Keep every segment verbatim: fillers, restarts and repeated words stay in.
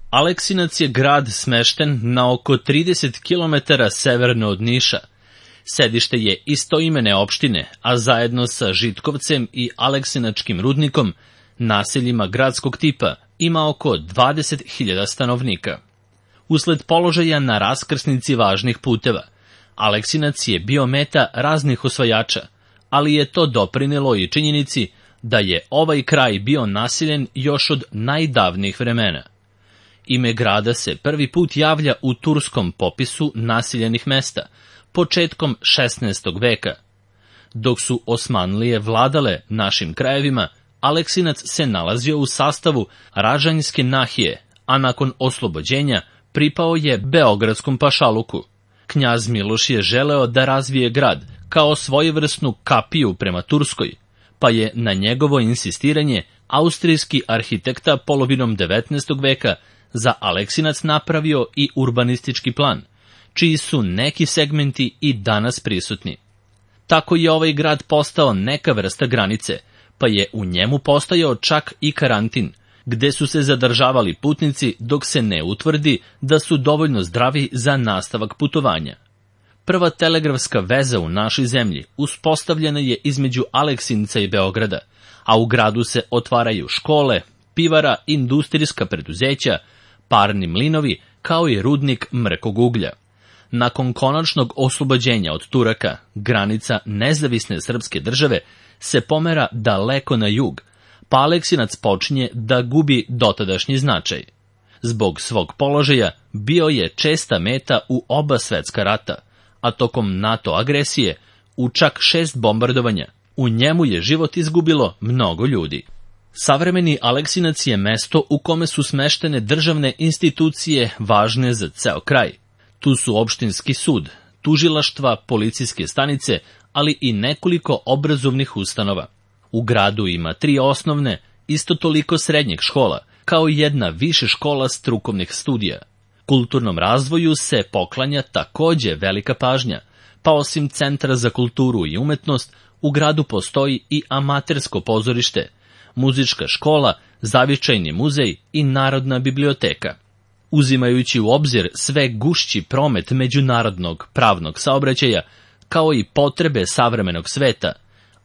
Aleksinac je grad smešten na oko trideset kilometara severno od Niša. Sedište je istoimene opštine, a zajedno sa Žitkovcem i Aleksinačkim rudnikom, naseljima gradskog tipa, ima oko dvadeset hiljada stanovnika. Usled položaja na raskrsnici važnih puteva, Aleksinac je bio meta raznih osvajača, ali je to doprinelo i činjenici da je ovaj kraj bio naseljen još od najdavnijih vremena. Ime grada se prvi put javlja u turskom popisu naseljenih mesta, početkom šesnaestog veka. Dok su Osmanlije vladale našim krajevima, Aleksinac se nalazio u sastavu Ražanjske nahije, a nakon oslobođenja pripao je Beogradskom pašaluku. Knjaz Miloš je želeo da razvije grad kao svojevrsnu kapiju prema Turskoj, pa je na njegovo insistiranje austrijski arhitekta polovinom devetnaestog veka za Aleksinac napravio i urbanistički plan, čiji su neki segmenti i danas prisutni. Tako je ovaj grad postao neka vrsta granice, pa je u njemu postojao čak i karantin, gde su se zadržavali putnici dok se ne utvrdi da su dovoljno zdravi za nastavak putovanja. Prva telegrafska veza u našoj zemlji uspostavljena je između Aleksinca i Beograda, a u gradu se otvaraju škole, pivara, industrijska preduzeća, parni mlinovi, kao i rudnik mrkog uglja. Nakon konačnog oslobođenja od Turaka, granica nezavisne srpske države se pomera daleko na jug, pa Aleksinac počinje da gubi dotadašnji značaj. Zbog svog položaja bio je česta meta u oba svetska rata, a tokom NATO agresije u čak šest bombardovanja. U njemu je život izgubilo mnogo ljudi. Savremeni Aleksinac je mesto u kome su smeštene državne institucije važne za ceo kraj. Tu su opštinski sud, tužilaštva, policijske stanice, ali i nekoliko obrazovnih ustanova. U gradu ima tri osnovne, isto toliko srednjih škola, kao i jedna više škola strukovnih studija. Kulturnom razvoju se poklanja takođe velika pažnja, pa osim Centra za kulturu i umetnost, u gradu postoji i amatersko pozorište, muzička škola, zavičajni muzej i Narodna biblioteka. Uzimajući u obzir sve gušći promet međunarodnog pravnog saobraćaja, kao i potrebe savremenog sveta,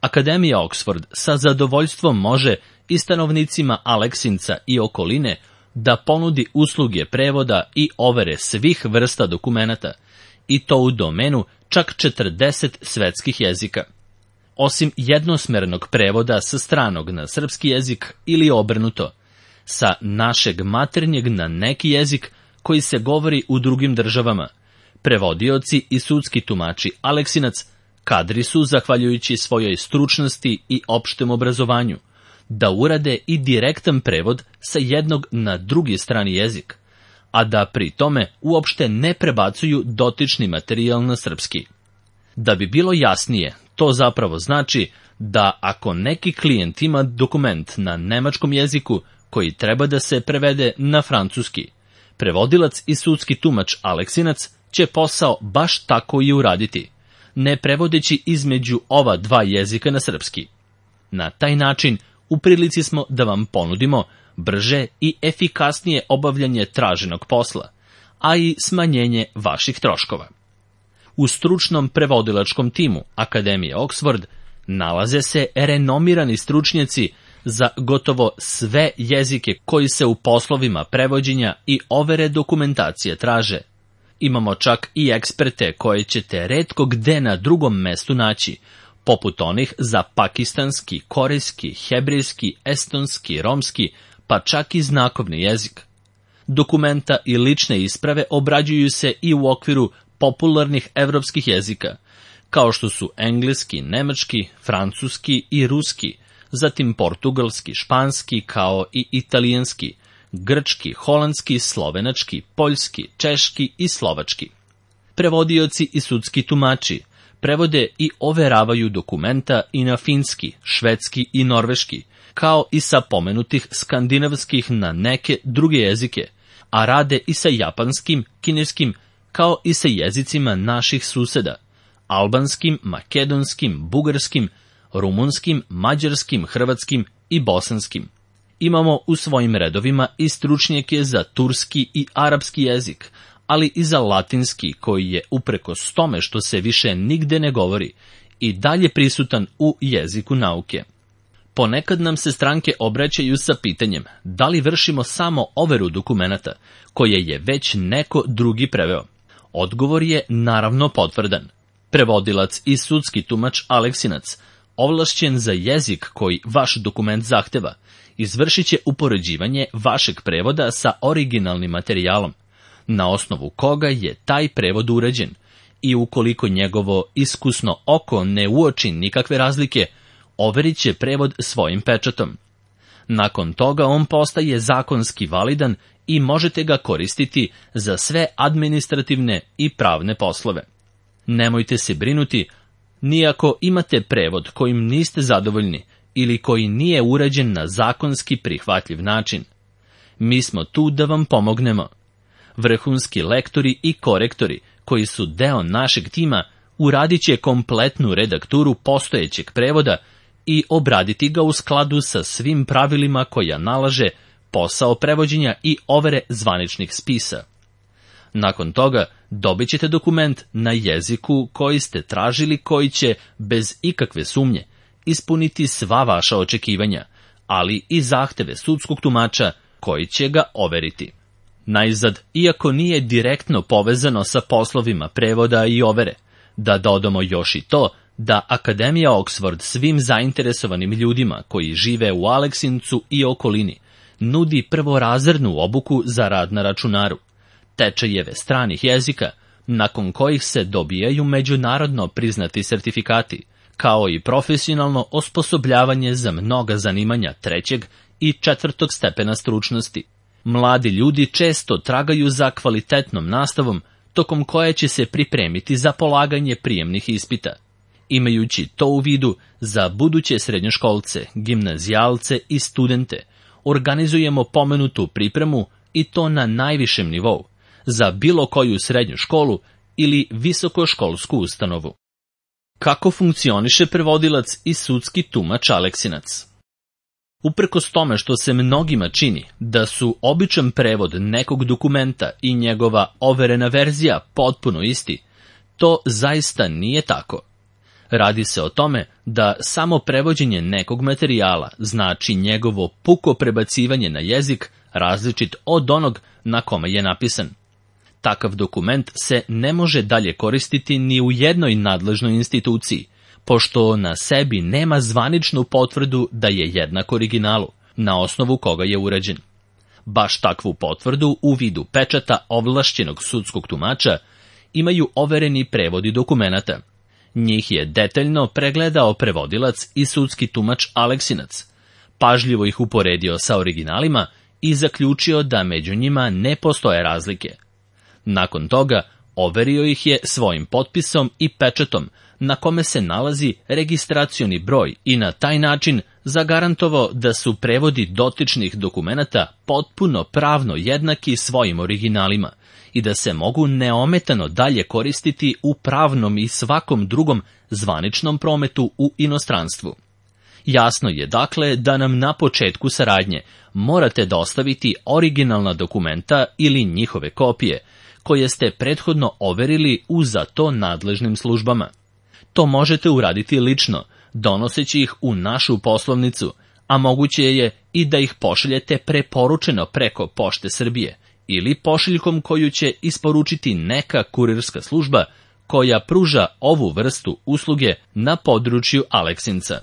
Akademija Oxford sa zadovoljstvom može i stanovnicima Aleksinca i okoline da ponudi usluge prevoda i overe svih vrsta dokumenata, i to u domenu čak četrdeset svetskih jezika. Osim jednosmernog prevoda sa stranog na srpski jezik ili obrnuto, sa našeg maternjeg na neki jezik koji se govori u drugim državama, prevodioci i sudski tumači Aleksinac kadri su, zahvaljujući svojoj stručnosti i opštem obrazovanju, da urade i direktan prevod sa jednog na drugi strani jezik, a da pri tome uopšte ne prebacuju dotični materijal na srpski. Da bi bilo jasnije, to zapravo znači da ako neki klijent ima dokument na nemačkom jeziku koji treba da se prevede na francuski, prevodilac i sudski tumač Aleksinac će posao baš tako i uraditi, ne prevodeći između ova dva jezika na srpski. Na taj način u prilici smo da vam ponudimo brže i efikasnije obavljanje traženog posla, a i smanjenje vaših troškova. U stručnom prevodilačkom timu Akademije Oxford nalaze se renomirani stručnjaci za gotovo sve jezike koji se u poslovima prevođenja i overe dokumentacije traže. Imamo čak i eksperte koje ćete retko gde na drugom mestu naći, poput onih za pakistanski, korejski, hebrejski, estonski, romski, pa čak i znakovni jezik. Dokumenta i lične isprave obrađuju se i u okviru popularnih evropskih jezika, kao što su engleski, nemački, francuski i ruski, zatim portugalski, španski, kao i italijanski, grčki, holandski, slovenački, poljski, češki i slovački. Prevodioci i sudski tumači prevode i overavaju dokumenta i na finski, švedski i norveški, kao i sa pomenutih skandinavskih na neke druge jezike, a rade i sa japanskim, kineskim, kao i sa jezicima naših suseda, albanskim, makedonskim, bugarskim, rumunskim, mađarskim, hrvatskim i bosanskim. Imamo u svojim redovima i stručnjake za turski i arapski jezik, ali i za latinski, koji je uprkos tome što se više nigde ne govori i dalje prisutan u jeziku nauke. Ponekad nam se stranke obraćaju sa pitanjem da li vršimo samo overu dokumenata koje je već neko drugi preveo. Odgovor je naravno potvrdan. Prevodilac i sudski tumač Aleksinac, ovlašćen za jezik koji vaš dokument zahteva, izvršit će upoređivanje vašeg prevoda sa originalnim materijalom, na osnovu koga je taj prevod urađen, i ukoliko njegovo iskusno oko ne uoči nikakve razlike, overit će prevod svojim pečatom. Nakon toga on postaje zakonski validan i možete ga koristiti za sve administrativne i pravne poslove. Nemojte se brinuti, ni ako imate prevod kojim niste zadovoljni ili koji nije urađen na zakonski prihvatljiv način. Mi smo tu da vam pomognemo. Vrhunski lektori i korektori, koji su deo našeg tima, uradit će kompletnu redakturu postojećeg prevoda i obraditi ga u skladu sa svim pravilima koja nalaže posao prevođenja i overe zvaničnih spisa. Nakon toga dobit ćete dokument na jeziku koji ste tražili, koji će, bez ikakve sumnje, ispuniti sva vaša očekivanja, ali i zahteve sudskog tumača koji će ga overiti. Najzad, iako nije direktno povezano sa poslovima prevoda i overe, da dodamo još i to da Akademija Oxford svim zainteresovanim ljudima koji žive u Aleksincu i okolini nudi prvorazrednu obuku za rad na računaru, tečajeve stranih jezika, nakon kojih se dobijaju međunarodno priznati sertifikati, kao i profesionalno osposobljavanje za mnoga zanimanja trećeg i četvrtog stepena stručnosti. Mladi ljudi često tragaju za kvalitetnom nastavom, tokom koje će se pripremiti za polaganje prijemnih ispita. Imajući to u vidu, za buduće srednjoškolce, gimnazijalce i studente organizujemo pomenutu pripremu, i to na najvišem nivou, za bilo koju srednju školu ili visokoškolsku ustanovu. Kako funkcioniše prevodilac i sudski tumač Aleksinac? Uprkos tome što se mnogima čini da su običan prevod nekog dokumenta i njegova overena verzija potpuno isti, to zaista nije tako. Radi se o tome da samo prevođenje nekog materijala znači njegovo puko prebacivanje na jezik različit od onog na kome je napisan. Takav dokument se ne može dalje koristiti ni u jednoj nadležnoj instituciji, pošto na sebi nema zvaničnu potvrdu da je jednak originalu, na osnovu koga je urađen. Baš takvu potvrdu u vidu pečata ovlašćenog sudskog tumača imaju overeni prevodi dokumenata. Njih je detaljno pregledao prevodilac i sudski tumač Aleksinac, pažljivo ih uporedio sa originalima i zaključio da među njima ne postoje razlike. Nakon toga overio ih je svojim potpisom i pečatom, na kome se nalazi registracioni broj, i na taj način zagarantovao da su prevodi dotičnih dokumenata potpuno pravno jednaki svojim originalima i da se mogu neometano dalje koristiti u pravnom i svakom drugom zvaničnom prometu u inostranstvu. Jasno je dakle da nam na početku saradnje morate dostaviti originalna dokumenta ili njihove kopije, koje ste prethodno overili u za to nadležnim službama. To možete uraditi lično, donoseći ih u našu poslovnicu, a moguće je i da ih pošaljete preporučeno preko Pošte Srbije ili pošiljkom koju će isporučiti neka kurirska služba koja pruža ovu vrstu usluge na području Aleksinca.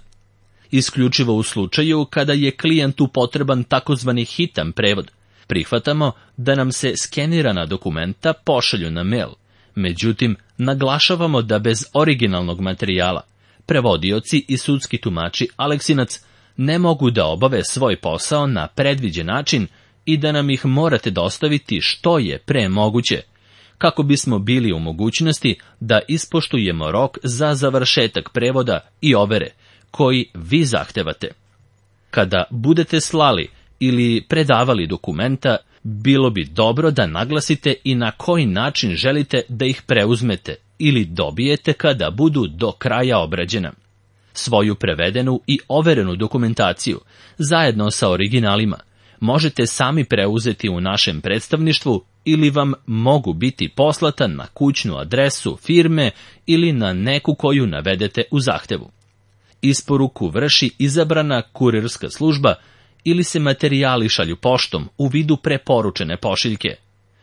Isključivo u slučaju kada je klijentu potreban takozvani hitan prevod, prihvatamo da nam se skenirana dokumenta pošalju na mail. Međutim, naglašavamo da bez originalnog materijala prevodioci i sudski tumači Aleksinac ne mogu da obave svoj posao na predviđen način i da nam ih morate dostaviti što je pre moguće, kako bismo bili u mogućnosti da ispoštujemo rok za završetak prevoda i overe koji vi zahtevate. Kada budete slali ili predavali dokumenta, bilo bi dobro da naglasite i na koji način želite da ih preuzmete ili dobijete kada budu do kraja obrađena. Svoju prevedenu i overenu dokumentaciju, zajedno sa originalima, možete sami preuzeti u našem predstavništvu ili vam mogu biti poslata na kućnu adresu firme ili na neku koju navedete u zahtevu. Isporuku vrši izabrana kurirska služba ili se materijali šalju poštom u vidu preporučene pošiljke.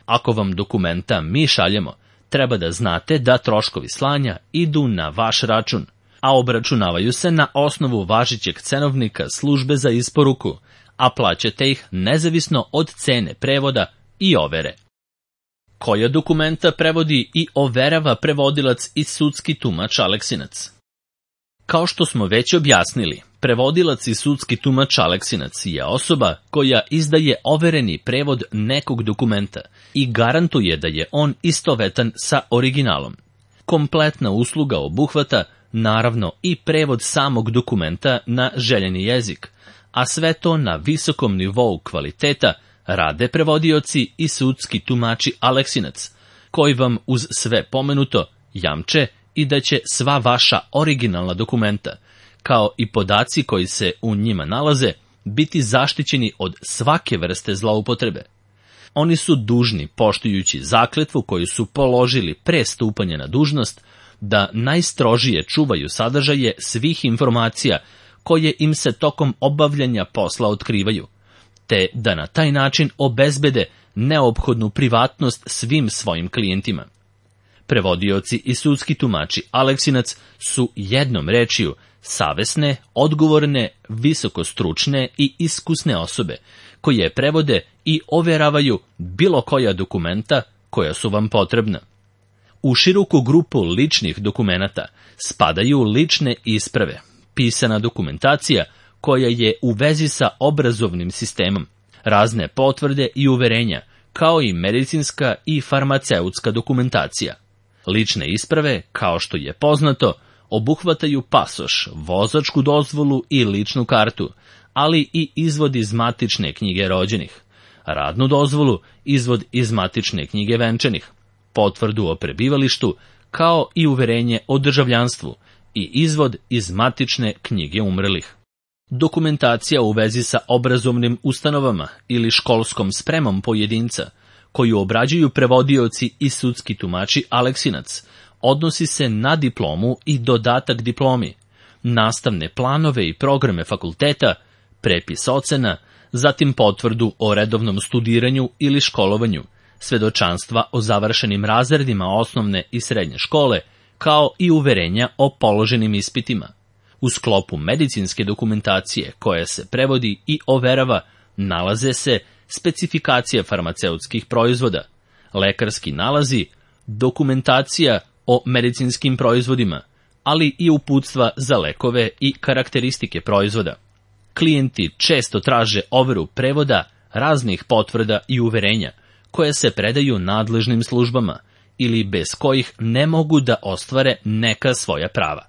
Ako vam dokumenta mi šaljemo, treba da znate da troškovi slanja idu na vaš račun, a obračunavaju se na osnovu važećeg cenovnika službe za isporuku, a plaćate ih nezavisno od cene prevoda i overe. Koja dokumenta prevodi i overava prevodilac i sudski tumač Aleksinac? Kao što smo već objasnili, prevodilac i sudski tumač Aleksinac je osoba koja izdaje overeni prevod nekog dokumenta i garantuje da je on istovetan sa originalom. Kompletna usluga obuhvata, naravno, i prevod samog dokumenta na željeni jezik, a sve to na visokom nivou kvaliteta rade prevodioci i sudski tumači Aleksinac, koji vam uz sve pomenuto jamče i da će sva vaša originalna dokumenta, kao i podaci koji se u njima nalaze, biti zaštićeni od svake vrste zloupotrebe. Oni su dužni, poštujući zakletvu koju su položili pre stupanja na dužnost, da najstrožije čuvaju sadržaje svih informacija koje im se tokom obavljanja posla otkrivaju, te da na taj način obezbede neophodnu privatnost svim svojim klijentima. Prevodioci i sudski tumači Aleksinac su jednom rečju savesne, odgovorne, visokostručne i iskusne osobe koje prevode i overavaju bilo koja dokumenta koja su vam potrebna. U široku grupu ličnih dokumenata spadaju lične isprave, pisana dokumentacija koja je u vezi sa obrazovnim sistemom, razne potvrde i uverenja, kao i medicinska i farmaceutska dokumentacija. Lične isprave, kao što je poznato, obuhvataju pasoš, vozačku dozvolu i ličnu kartu, ali i izvod iz matične knjige rođenih, radnu dozvolu, izvod iz matične knjige venčanih, potvrdu o prebivalištu, kao i uverenje o državljanstvu i izvod iz matične knjige umrlih. Dokumentacija u vezi sa obrazovnim ustanovama ili školskom spremom pojedinca, koju obrađuju prevodioci i sudski tumači Aleksinac, odnosi se na diplomu i dodatak diplomi, nastavne planove i programe fakulteta, prepis ocena, zatim potvrdu o redovnom studiranju ili školovanju, svedočanstva o završenim razredima osnovne i srednje škole, kao i uverenja o položenim ispitima. U sklopu medicinske dokumentacije koja se prevodi i overava nalaze se specifikacije farmaceutskih proizvoda, lekarski nalazi, dokumentacija o medicinskim proizvodima, ali i uputstva za lekove i karakteristike proizvoda. Klijenti često traže overu prevoda raznih potvrda i uverenja, koje se predaju nadležnim službama ili bez kojih ne mogu da ostvare neka svoja prava.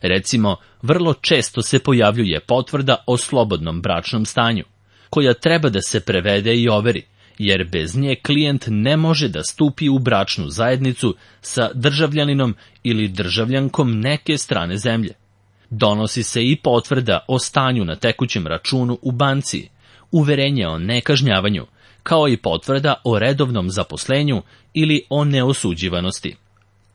Recimo, vrlo često se pojavljuje potvrda o slobodnom bračnom stanju, koja treba da se prevede i overi, jer bez nje klijent ne može da stupi u bračnu zajednicu sa državljaninom ili državljankom neke strane zemlje. Donosi se i potvrda o stanju na tekućem računu u banci, uverenje o nekažnjavanju, kao i potvrda o redovnom zaposlenju ili o neosuđivanosti.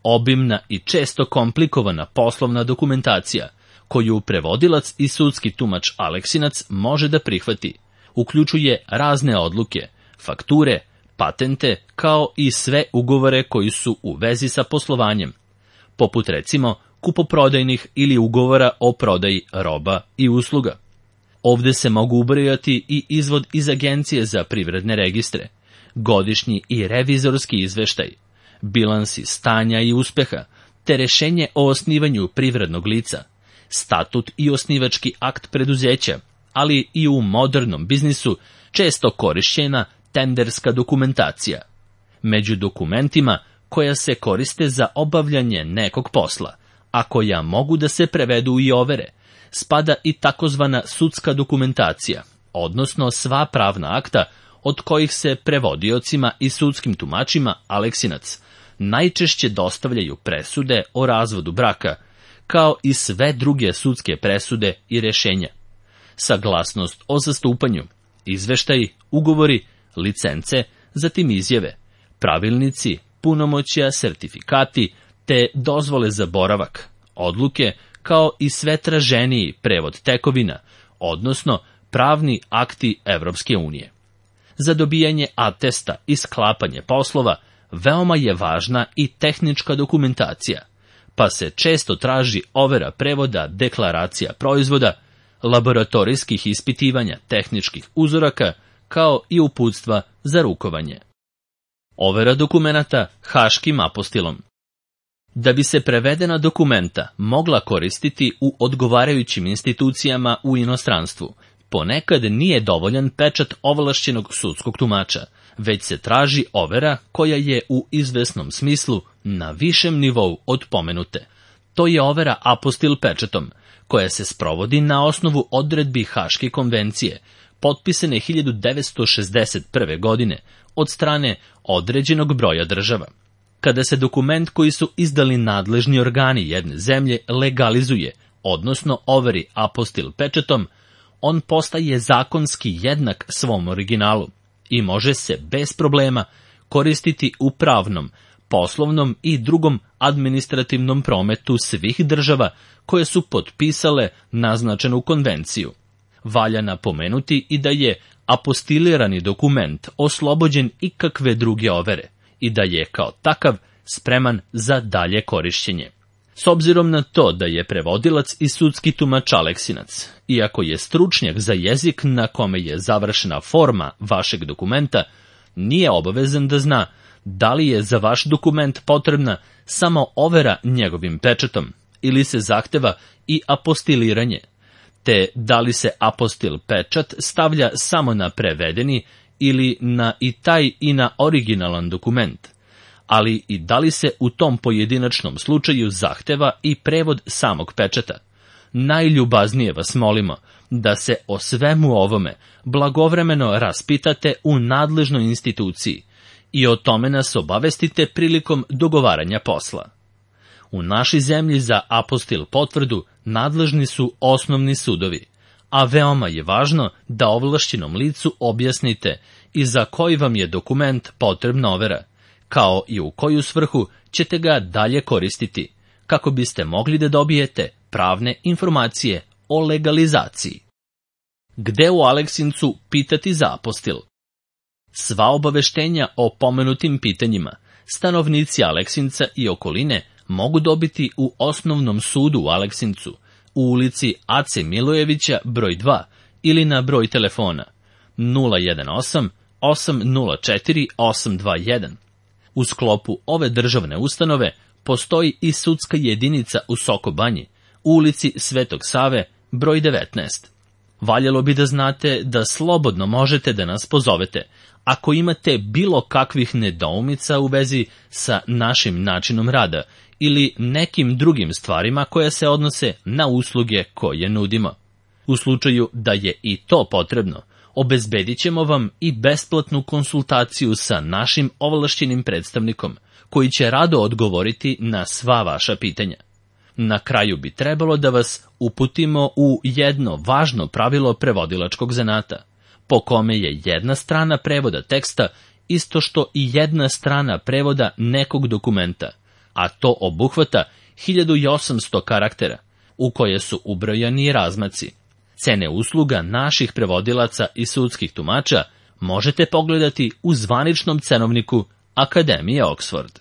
Obimna i često komplikovana poslovna dokumentacija, koju prevodilac i sudski tumač Aleksinac može da prihvati, uključuje razne odluke, fakture, patente, kao i sve ugovore koji su u vezi sa poslovanjem, poput recimo kupoprodajnih ili ugovora o prodaji roba i usluga. Ovde se mogu ubrojati i izvod iz Agencije za privredne registre, godišnji i revizorski izveštaj, bilansi stanja i uspeha, te rešenje o osnivanju privrednog lica, statut i osnivački akt preduzeća, ali i u modernom biznisu često korišćena tenderska dokumentacija. Među dokumentima koja se koriste za obavljanje nekog posla, a koja mogu da se prevedu i overe, spada i takozvana sudska dokumentacija, odnosno sva pravna akta od kojih se prevodiocima i sudskim tumačima Aleksinac najčešće dostavljaju presude o razvodu braka, kao i sve druge sudske presude i rješenja. Saglasnost o zastupanju, izveštaji, ugovori, licence, zatim izjave, pravilnici, punomoćja, sertifikati, te dozvole za boravak, odluke, kao i sve traženiji prevod tekovina, odnosno pravni akti Evropske unije. Za dobijanje atesta i sklapanje poslova veoma je važna i tehnička dokumentacija, pa se često traži overa prevoda deklaracija proizvoda, laboratorijskih ispitivanja tehničkih uzoraka, kao i uputstva za rukovanje. Overa dokumenata haškim apostilom. Da bi se prevedena dokumenta mogla koristiti u odgovarajućim institucijama u inostranstvu, ponekad nije dovoljan pečat ovlašćenog sudskog tumača, već se traži overa koja je u izvesnom smislu na višem nivou od pomenute. To je overa apostil pečatom, koja se sprovodi na osnovu odredbi Haške konvencije, potpisane hiljadu devetsto šezdeset prve. godine od strane određenog broja država. Kada se dokument koji su izdali nadležni organi jedne zemlje legalizuje, odnosno overi apostil pečatom, on postaje zakonski jednak svom originalu i može se bez problema koristiti u pravnom, poslovnom i drugom administrativnom prometu svih država koje su potpisale naznačenu konvenciju. Valja napomenuti i da je apostilirani dokument oslobođen ikakve druge overe i da je kao takav spreman za dalje korišćenje. S obzirom na to da je prevodilac i sudski tumač Aleksinac, iako je stručnjak za jezik na kome je završena forma vašeg dokumenta, nije obavezan da zna da li je za vaš dokument potrebna samo overa njegovim pečatom ili se zahteva i apostiliranje, te da li se apostil pečat stavlja samo na prevedeni ili na i taj i na originalan dokument, ali i da li se u tom pojedinačnom slučaju zahteva i prevod samog pečata. Najljubaznije vas molimo da se o svemu ovome blagovremeno raspitate u nadležnoj instituciji i o tome nas obavestite prilikom dogovaranja posla. U našoj zemlji za apostil potvrdu nadležni su osnovni sudovi, a veoma je važno da ovlašćenom licu objasnite i za koji vam je dokument potrebna overa, kao i u koju svrhu ćete ga dalje koristiti, kako biste mogli da dobijete pravne informacije o legalizaciji. Gde u Aleksincu pitati za apostil? Sva obaveštenja o pomenutim pitanjima stanovnici Aleksinca i okoline mogu dobiti u osnovnom sudu u Aleksincu, u ulici Ace Milojevića broj dva ili na broj telefona nula jedan osam osam nula četiri osam dva jedan. U sklopu ove državne ustanove postoji i sudska jedinica u Soko Banji, u ulici Svetog Save broj devetnaest. Valjalo bi da znate da slobodno možete da nas pozovete ako imate bilo kakvih nedoumica u vezi sa našim načinom rada ili nekim drugim stvarima koje se odnose na usluge koje nudimo. U slučaju da je i to potrebno, obezbedit ćemo vam i besplatnu konsultaciju sa našim ovlašćenim predstavnikom, koji će rado odgovoriti na sva vaša pitanja. Na kraju bi trebalo da vas uputimo u jedno važno pravilo prevodilačkog zanata, po kome je jedna strana prevoda teksta isto što i jedna strana prevoda nekog dokumenta, a to obuhvata hiljadu osamsto karaktera, u koje su ubrojani razmaci. Cene usluga naših prevodilaca i sudskih tumača možete pogledati u zvaničnom cenovniku Akademije Oxford.